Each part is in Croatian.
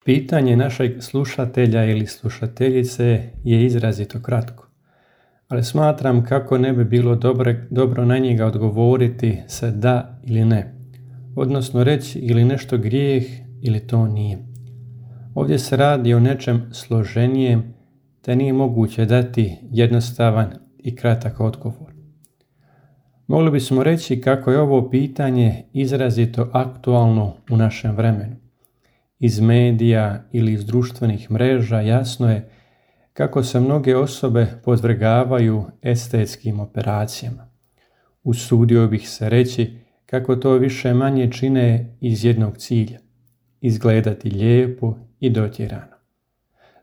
Pitanje našeg slušatelja ili slušateljice je izrazito kratko, ali smatram kako ne bi bilo dobro na njega odgovoriti sa da ili ne, odnosno reći ili nešto grijeh ili to nije. Ovdje se radi o nečem složenijem, te nije moguće dati jednostavan i kratak odgovor. Mogli bismo reći kako je ovo pitanje izrazito aktualno u našem vremenu. Iz medija ili iz društvenih mreža jasno je kako se mnoge osobe podvrgavaju estetskim operacijama. Usudio bih se reći kako to više manje čine iz jednog cilja, izgledati lijepo i dotjerano.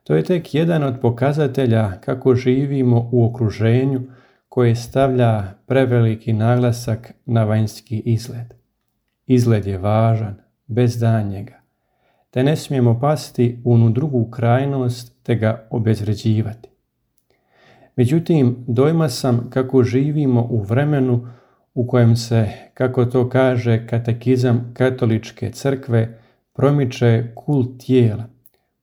To je tek jedan od pokazatelja kako živimo u okruženju koje stavlja preveliki naglasak na vanjski izgled. Izgled je važan, bez daljnjega, te ne smijemo pasti u onu drugu krajnost te ga obezvređivati. Međutim, dojma sam kako živimo u vremenu u kojem se, kako to kaže katekizam katoličke crkve, promiče kult tijela,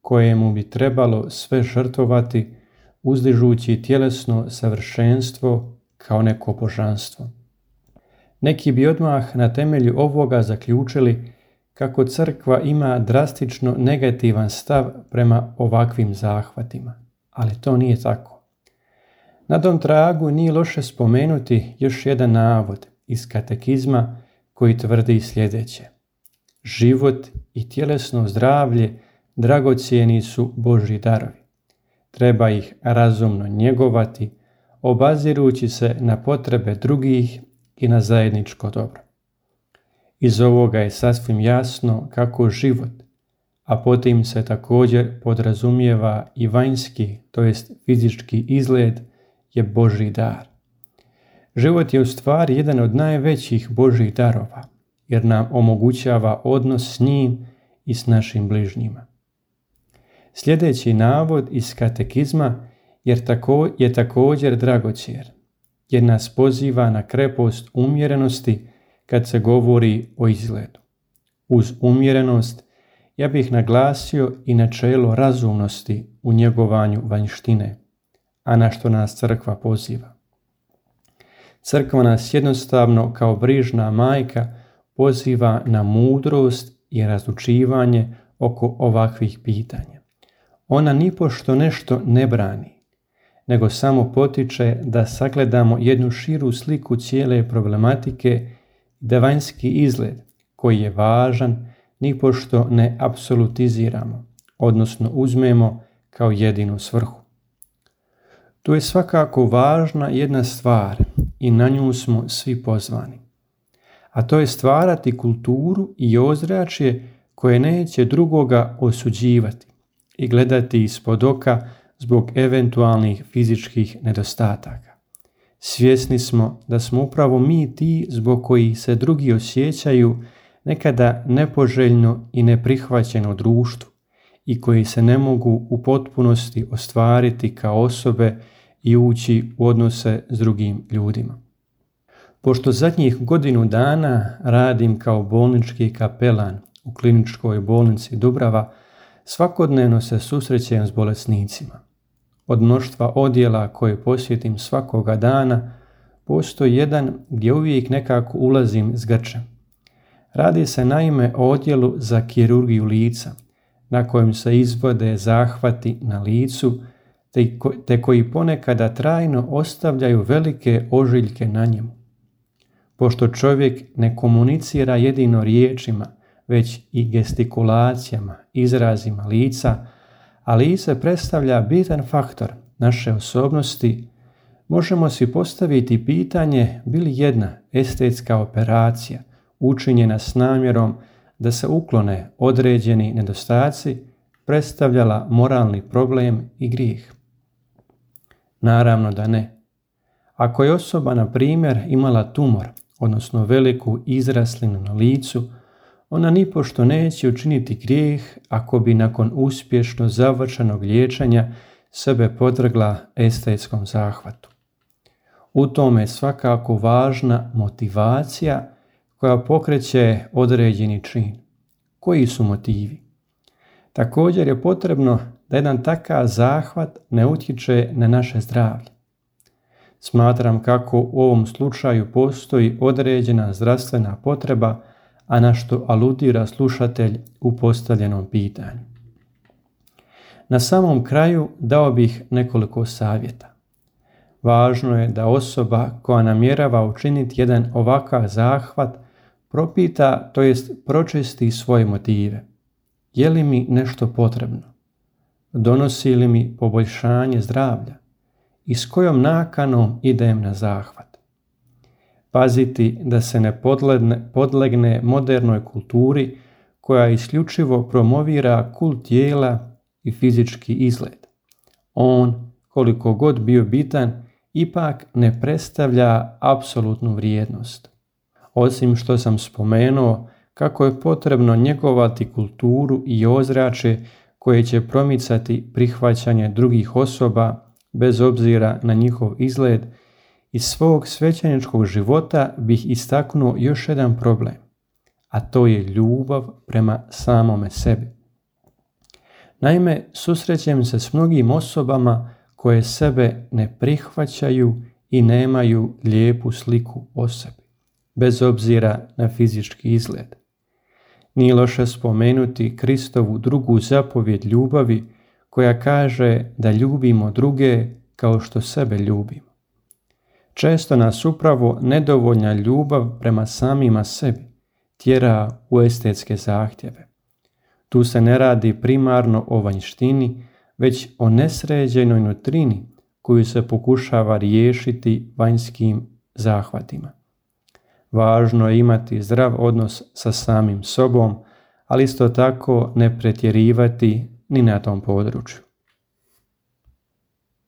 kojemu bi trebalo sve žrtvovati, uzdižući tjelesno savršenstvo kao neko božanstvo. Neki bi odmah na temelju ovoga zaključili kako crkva ima drastično negativan stav prema ovakvim zahvatima, ali to nije tako. Na tom tragu nije loše spomenuti još jedan navod iz katekizma koji tvrdi sljedeće: život i tjelesno zdravlje dragocjeni su Božji darovi. Treba ih razumno njegovati, obazirući se na potrebe drugih i na zajedničko dobro. Iz ovoga je sasvim jasno kako život, a potim se također podrazumijeva i vanjski, to jest fizički izgled, je Božji dar. Život je u stvari jedan od najvećih Božjih darova, jer nam omogućava odnos s njim i s našim bližnjima. Sljedeći navod iz katekizma je također dragocjen, jer nas poziva na krepost umjerenosti kad se govori o izgledu. Uz umjerenost ja bih naglasio i načelo razumnosti u njegovanju vanjštine, a na što nas crkva poziva. Crkva nas jednostavno kao brižna majka poziva na mudrost i razlučivanje oko ovakvih pitanja. Ona nipošto nešto ne brani, nego samo potiče da sagledamo jednu širu sliku cijele problematike, da vanjski izgled, koji je važan, nipošto ne apsolutiziramo, odnosno uzmemo kao jedinu svrhu. Tu je svakako važna jedna stvar i na nju smo svi pozvani, a to je stvarati kulturu i ozračje koje neće drugoga osuđivati i gledati ispod oka zbog eventualnih fizičkih nedostataka. Svjesni smo da smo upravo mi ti zbog kojih se drugi osjećaju nekada nepoželjno i neprihvaćeno u društvu i koji se ne mogu u potpunosti ostvariti kao osobe i ući u odnose s drugim ljudima. Pošto zadnjih godinu dana radim kao bolnički kapelan u kliničkoj bolnici Dubrava, svakodnevno se susrećem s bolesnicima. Od mnoštva odjela koje posjetim svakoga dana, postoji jedan gdje uvijek nekako ulazim s grčem. Radi se naime o odjelu za kirurgiju lica, na kojem se izvode zahvati na licu, te koji ponekada trajno ostavljaju velike ožiljke na njemu. Pošto čovjek ne komunicira jedino riječima, već i gestikulacijama, izrazima lica, a lice predstavlja bitan faktor naše osobnosti, možemo si postaviti pitanje bi li jedna estetska operacija učinjena s namjerom da se uklone određeni nedostaci predstavljala moralni problem i grijeh. Naravno da ne. Ako je osoba, na primjer, imala tumor, odnosno veliku izraslinu na licu, ona nipošto neće učiniti grijeh ako bi nakon uspješno završenog liječenja sebe podvrgla estetskom zahvatu. U tome je svakako važna motivacija koja pokreće određeni čin. Koji su motivi? Također je potrebno da jedan takav zahvat ne utječe na naše zdravlje. Smatram kako u ovom slučaju postoji određena zdravstvena potreba, a na što aludira slušatelj u postavljenom pitanju. Na samom kraju dao bih nekoliko savjeta. Važno je da osoba koja namjerava učiniti jedan ovakav zahvat propita, to jest pročisti svoje motive. Je li mi nešto potrebno? Donosi li mi poboljšanje zdravlja? I s kojom nakanom idem na zahvat? Paziti da se ne podlegne modernoj kulturi koja isključivo promovira kult tijela i fizički izgled. On, koliko god bio bitan, ipak ne predstavlja apsolutnu vrijednost. Osim što sam spomenuo kako je potrebno njegovati kulturu i ozračje koje će promicati prihvaćanje drugih osoba bez obzira na njihov izgled, iz svog svećeničkog života bih istaknuo još jedan problem, a to je ljubav prema samome sebi. Naime, susrećem se s mnogim osobama koje sebe ne prihvaćaju i nemaju lijepu sliku o sebi, bez obzira na fizički izgled. Nije loše spomenuti Kristovu drugu zapovjed ljubavi koja kaže da ljubimo druge kao što sebe ljubimo. Često nas upravo nedovoljna ljubav prema samima sebi tjera u estetske zahtjeve. Tu se ne radi primarno o vanjštini, već o nesređenoj nutrini koju se pokušava riješiti vanjskim zahvatima. Važno je imati zdrav odnos sa samim sobom, ali isto tako ne pretjerivati ni na tom području.